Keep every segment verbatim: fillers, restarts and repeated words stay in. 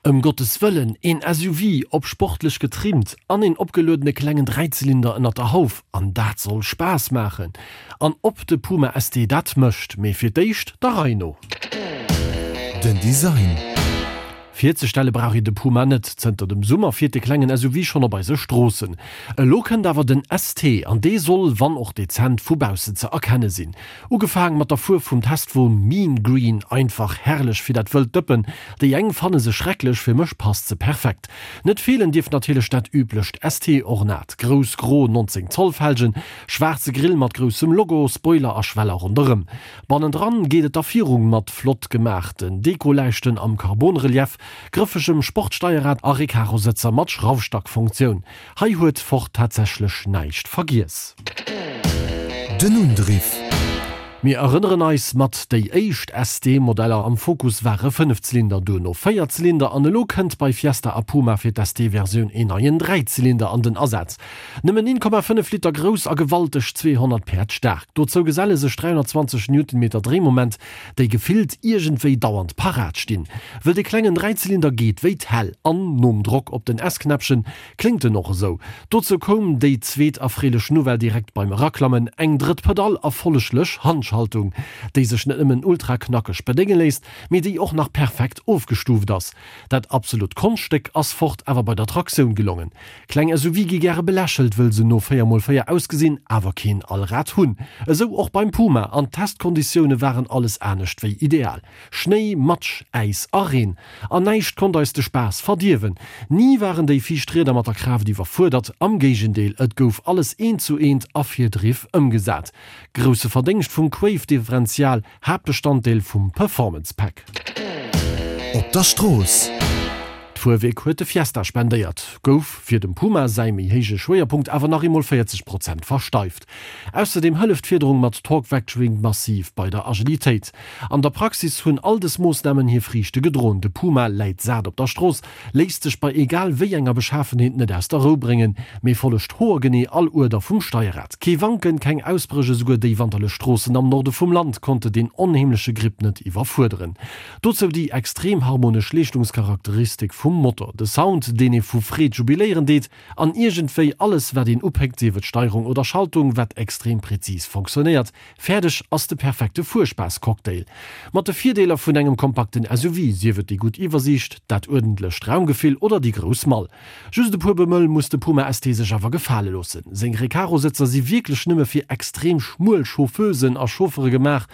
Ëm Gottes Wëllen, een S U V, op sportlech getrimmt, an een opgeluedene klengen Dräizylinder ënnert der Hauf, an dat soll Spaass maachen. An ob de Puma S T dat mécht, mee fir d'éischt der Rei no. Den Design. Virzestelle brauch een de Puma net, zënter dem Summer fiert de klengen S U V schonn op eise Stroossen. Elo kënnt awer den S T an dee soll, wann och dezent, vu baussen ze erkenne sinn. Ugefaang mat der Fuerf vum Testwon, Mean Green, einfach herrlech fir dat wëllt Dëppen. Déi eng fanne se schrecklech, fir mech passt se perfekt. Net feelen dierf natierlech dat üblecht S T-Ornat, grouss gro nonzéng Zoll Felgen, schwaarze Grill mat groussem Logo, Spoiler a Schweller ronderëm. Bannendran geet et da viru mat flott gemaachten Dekoläischten am Carbon-Relief, grëffegem Sportsteierrad a Recaro-Sëtzer mat Schraufstackfunktioun. Hei huet Ford tatsächlech näischt vergiess. Den Undriff. Mir erënneren eis, mat déi éischt S T-Modeller am Focus ware Fënnefzylinder, duerno Véierzylinder an elo kënnt bei Fiesta a Puma fir d'S T-Versioun een neien Dräizylinder an den Asaz. Nëmmen een Komma fënnef Liter grouss a gewalteg zweehonnert Päerd staark. Dozou geselle sech dräihonnertzwanzeg Newtonmeter Dréimoment, déi gefillt iergendwéi dauernd parat stinn. Wëll de klengen Dräizylinder geet wéi d'Hell an nom Drock op den S-Knäppchen kléngt en och esou. Dozou koum déi zweet erfreelech Nouvelle direkt beim Eraklammen, eng drëtt Pedall a folleglech Handschaltung, déi sech net nëmmen ultra knackeg bedénge léisst, mee déi och nach perfekt ofgestuuft ass. Dat absolut Konschtstéck ass Ford awer bei der Traktioun gelongen. Kleng S U V gi gäre belächelt, wëll se no véier mol véier ausgesinn, awer keen Allrad hunn. Esou och beim Puma, an d'Testkonditioune waren alles anescht wéi ideal. Schnéi, Matsch, Äis a Reen. An näischt konnt eis de Spaass verdierwen. Ni waren déi viischt Rieder mat der Kraaft iwwerfuerdert, am Géigendeel, et gouf alles eent zu eent a Virdriff ëmgesat. Grousse Verdéngscht vum Quaife-Differential, Haaptbestanddeel vum Performance Pack. Op der Strooss. D'Fuerwierk huet de Fiesta spendéiert, gouf fir dem Puma säi méi héije Schwéierpunkt awer nach eemol véierzeg Prozent versteift. Ausserdeem hëlleft d'Fiederung mat Torque Vectoring massiv bei der Agilitéit. An der Praxis hunn all dës Moossnamen hir Friichte gedroen, de Puma läit sat op der Strooss, léisst sech bei egal wéi enger Beschafenheet net aus der Rou bréngen, mee follegt hoergenee all Uerder vum Steierrad. Kee Wanken, keng Ausbréch, esouguer déi wanterlech Stroossen am Norde vum Land konnte deen onheemleche Grip net iwwerfuerderen. Dozou déi extrem harmonesch Leeschtungscharakteristik vum Motor, de Sound, deen ee vu Freed jubiléieren deet, an iergendwéi alles wat een upéckt, sief et Steierung oder Schaltung, wat extrem präzis fonctionnéiert. Fäerdeg ass de perfekte Fuerspaass-Cocktail. Mat de Virdeeler vun engem kompakten S U V, sief et déi gutt Iwwersiicht, dat uerdentlecht Raumgefill oder déi grouss Mall. Just e puer Bemëll muss de Puma S T sech awer gefale loossen. Seng Recaro-Sëtzer si wierklech nëmme fir extrem schmuel Chauffeusen a Chauffere gemaach.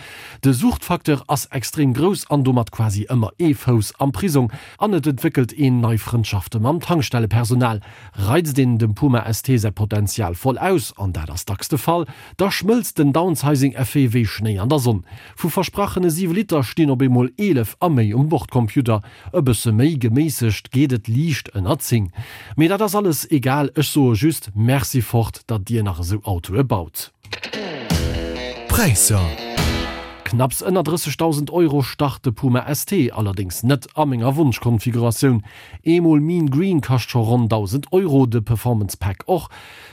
De Suchtfacteur ass extrem grouss an domat quasi ëmmer ee Fouss am Prisong an et entwéckelt een nei Frëndschafte mam Tankstellepersonal. Reizt een dem Puma S T säi Potenzial voll aus, an dat ass dacks de Fall, da schmëlzt den Downsizing-Effet wéi Schnéi an der Sonn. Vu versprachene siwe Liter stinn op eemol eelef a méi um Bordcomputer. E bësse méi geméissegt geet et liicht ënner zéng. Mee dat ass alles egal, ech soe just, Merci Ford, datt dir nach esou Autoe baut. Präisser. Knapps ënner drëssegdausend Euro start de Puma S T, allerdéngs net a menger Wonschkonfiguratioun. Eemol Mean Green kascht scho ronn dausend Euro, de Performance Pack och.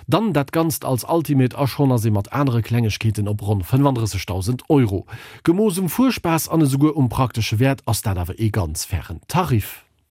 Dann dat Ganzt als Ultimate a schonn ass ee mat anere Klengegkeeten op ronn fënnefandrëssegdausend Euro. Gemooss um Fuerspaass an esouguer um praktesche Wäert ass dat awer ee ganz fairen Tarif.